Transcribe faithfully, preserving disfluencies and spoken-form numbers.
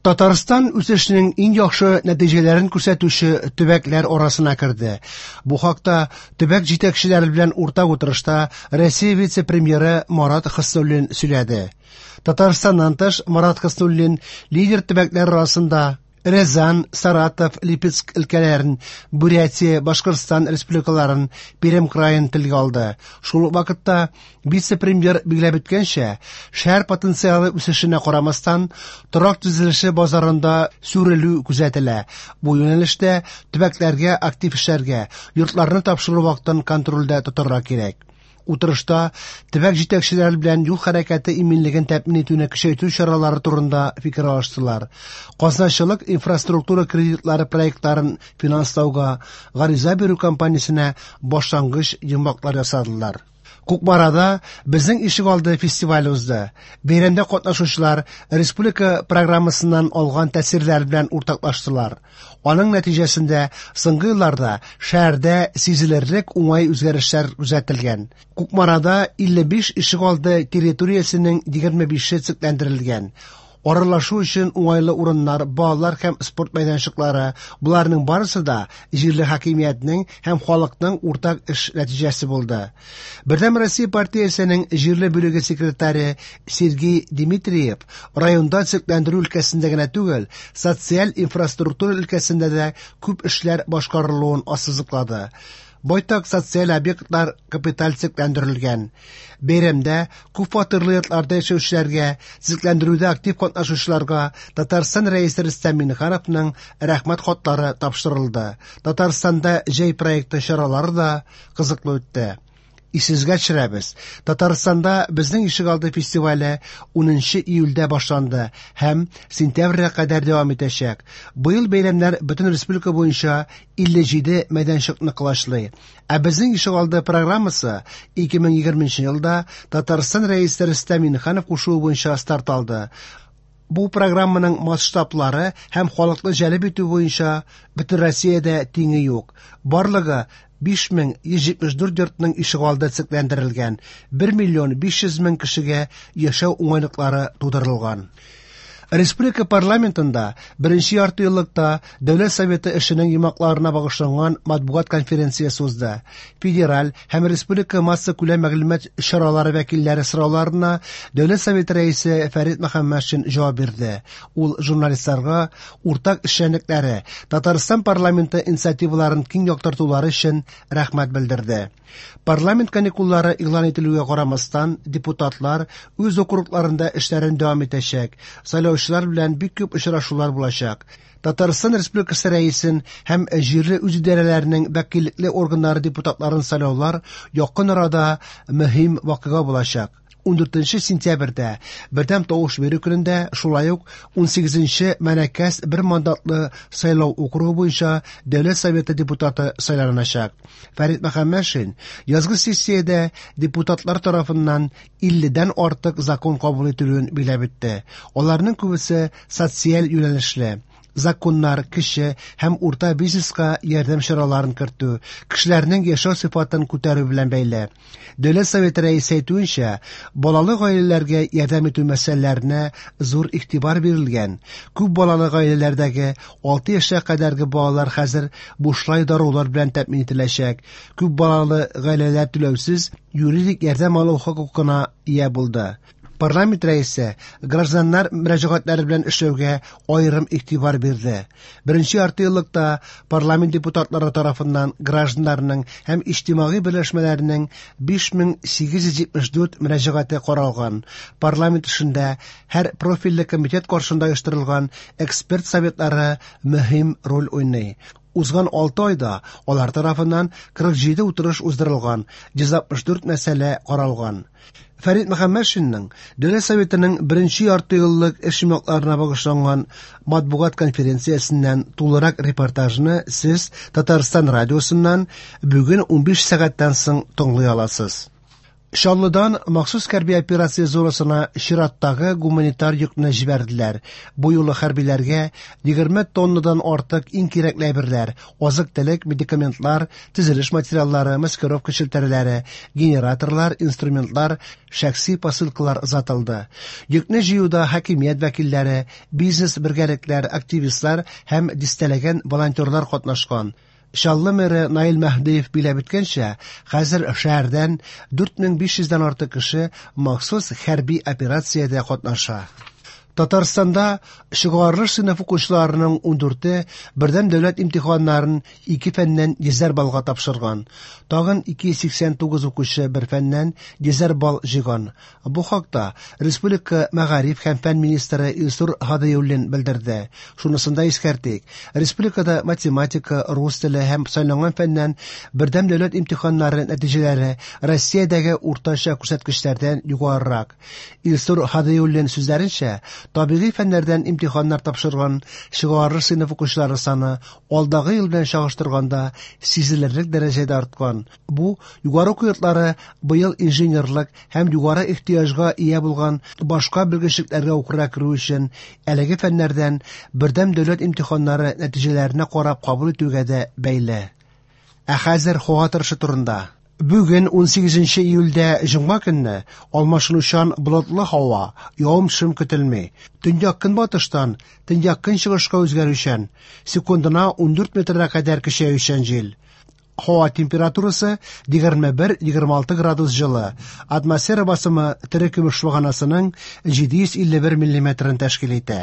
Татарстан үсешенең иң яхшы нәтиҗәләрен күрсәтүче төбәкләр арасына керде. Бу хакта төбәк җитәкчеләре белән уртак утырышта Россия вице-премьеры Марат Хөснуллин сөйләде. Татарстаннан тыш Марат Хөснуллин лидер төбәкләр арасында Рязань, Саратов, Липецк өлкәләрен, Бурятия, Башкортстан республикаларын, Пермь краен телгә алды. Шул ук вакытта вице-премьер билгеләп үткәнчә, шәһәр потенциалы үсешенә карамастан, торак төзелеше базарында сүрелү күзәтелә. Бу юнәлештә төбәкләргә актив эшләргә, йортларны тапшыру вакытын контрольдә тотарга кирәк. Утырышта төбәк җитәкчеләре белән юл хәрәкәте иминлеген тәэмин итүне көчәйтү чаралары турында фикер алыштылар. Казначылык инфраструктура кредитлары проектларын финанслауга гариза бирү кампаниясенә башлангыч йомгаклар ясадылар. Кукмарада «Безнең ишегалды» фестивале узды. Бәйрәмдә катнашучылар республика программасыннан алган тәэсирләр белән уртаклаштылар. Аның нәтиҗәсендә соңгы елларда шәһәрдә сизелерлек уңай үзгәрешләр күзәтелгән. Кукмарада илле биш ишегалды территориясенең егерме бише төзекләндерелгән. Аралашу өчен уңайлы урыннар, балалар һәм спорт мәйданчыклары, буларның барысы да җирле хакимиятнең һәм халыкның уртак эш нәтиҗәсе булды. Бердәм Россия партиясенең җирле бүлеге секретаре Сергей Дмитриев районда төзекләндерү өлкәсендә генә түгел, социаль инфраструктура өлкәсендә дә күп эшләр башкарылуын ассызыклады. Байтак социаль объектлар капиталь төзекләндерелгән. Бәйрәмдә күп фатирлы йортларда яшәүчеләргә, төзекләндерүдә актив катнашучыларга Татарстан Рәисе Рөстәм Миңнехановның рәхмәт хатлары тапшырылды. Татарстанда җәй проекты чаралары да кызыклы үтте. Исегезгә төшерәбез. Татарстанда «Безнең ишегалды» фестивале унынчы июльдә башланды һәм сентябрьгә кадәр дәвам итәчәк. Быел бәйрәмнәр бөтен республика буенча илле җиде мәйданчыкны колачлый. Ә «Безнең ишегалды» программасы ике мең егерменче елда Татарстан Рәисе Рөстәм Миңнеханов кушуы буенча старт алды. Бу программаның масштаблары һәм халыкны җәлеп итү буенча бөтен Россиядә тиңе юк. Барлыгы биш мең йөз җитмеш дүрт йортның ишегалды төзекләндерелгән, бер миллион биш йөз мең кешегә яшәү уңайлыклары тудырылган. Республика парламентында беренче ярты еллыкта Дәүләт Советы эшенең йомгакларына багышланган матбугат конференциясе узды. Федераль һәм республика массакүләм мәгълүмат чаралары вәкилләре сорауларына Дәүләт Советы рәисе Фәрит Мөхәммәтшин җавап бирде. Ул журналистларга уртак эшчәнлекләре, Татарстан парламенты инициативаларын киң яктыртулары өчен рәхмәт белдерде. Парламент каникуллары игълан ителүгә карамастан, депутатлар үз округларында эшләрен дәвам итәчәк. Сайлаучылар белән бик күп очрашулар булачак. Татарстан Республикасы рәисен һәм җирле үзидарәләрнең вәкиллекле органнары депутатларын сайлаулар якын арада мөһим вакыйга булачак. Ундүртенче сентябрьдә бердәм тавыш бирү көнендә шулай ук унсигезенче Мәнәкәс бер мандатлы сайлау округы буенча Дәүләт Советы депутаты сайланачак. Фәрит Мөхәммәтшин язгы сессиядә депутатлар тарафыннан илледән артык закон кабул ителүен билгеләп үтте. Аларның күбесе социаль юнәлешле. Законнар кеше һәм урта бизнеска ярдәм чараларын кертү, кешеләрнең яшәү сыйфатын күтәрү белән бәйле. Дәүләт Советы рәисе әйтүенчә, балалы гаиләләргә ярдәм итү мәсьәләләренә зур игътибар бирелгән. Күп балалы гаиләләрдәге алты яшькә кадәрге балалар хәзер бушлай дарулар белән тәэмин ителәчәк. Күп балалы гаиләләр түләүсез юридик ярдәм алу хокукына ия булды. Парламент рәисе гражданнар мөрәҗәгатьләре белән эшләүгә аерым игътибар бирде. Беренче ярты еллыкта парламент депутатлары тарафыннан гражданнарның һәм иҗтимагый берләшмәләрнең биш мең сигез йөз җитмеш дүрт мөрәҗәгате каралган. Парламент эшендә һәр профильле комитет каршында оештырылган эксперт советлары мөһим роль уйный. Узган алты айда алар тарафыннан кырык җиде утырыш уздырылган, йөз алтмыш дүрт мәсьәлә каралган. Фәрит Мөхәммәтшинның Дәүләт Советының беренче ярты еллык эш йомгакларына багышланган матбугат конференциясеннән тулырак репортажны сез Татарстан радиосыннан бүген унбиш сәгатьтән соң тыңлый аласыз. Чаллыдан махсус хәрби операция зонасына чираттагы гуманитар йөкне җибәрделәр. Бу юлы хәрбиләргә егерме тоннадан артык иң кирәкле әйберләр: азык-төлек, медикаментлар, төзелеш материаллары, маскировка челтәрләре, генераторлар, инструментлар, шәхси посылкалар озатылды. Йөкне җыюда хакимият вәкилләре, бизнес бергәлекләр, активистлар һәм дистәләгән волонтерлар катнашкан. Чаллы мэры Наил Мәһдиев биләп үткәнчә, хәзер шәһәрдән дүрт мең биш йөздән артык кеше махсус хәрби операциядә катнаша. Татарстанда чыгарылыш сыйныф укучыларының ундүрте бердәм дәүләт имтиханнарын ике фәннән йөзәр баллга тапшырган. Тагын ике йөз сиксән тугыз укучы бер фәннән йөзәр балл җыйган. Бу хакта Республика мәгариф һәм фән министры Илсур Һадиуллин белдерде. Шунысын да искәртик, республикада математика, рус теле һәм сайланган фәннән бердәм дәүләт имтиханнары нәтиҗәләре Россиядәге уртача күрсәткечләрдән югарырак. Илсур Һадиуллин сүзләренчә, табигый фәннәрдән имтиханнар тапшырган чыгарылыш сыйныф укучылары саны алдагы ел белән чагыштырганда сизелерлек дәрәҗәдә арткан. Бу югары уку йортлары быел инженерлык һәм югары ихтыяҗга ия булган башка белгечлекләргә укырга керү өчен әлеге фәннәрдән бердәм дәүләт имтиханнары нәтиҗәләренә карап кабул итүгә дә бәйле. Ә хәзер һава торышы турында. Бүген ун сигезенче июльдә җомга көнне алмашынучан болытлы һава, явым-төшем көтелми. Төньяк көнбатыштан төньяк көнчыгышка үзгәрүчән, секундына ундүрт метрга кадәр көчәючән җил. Һава температурасы егерме бер - егерме алты градус җылы. Атмосфера басымы терекөмеш баганасының җиде йөз илле бер миллиметрын тәшкил итә.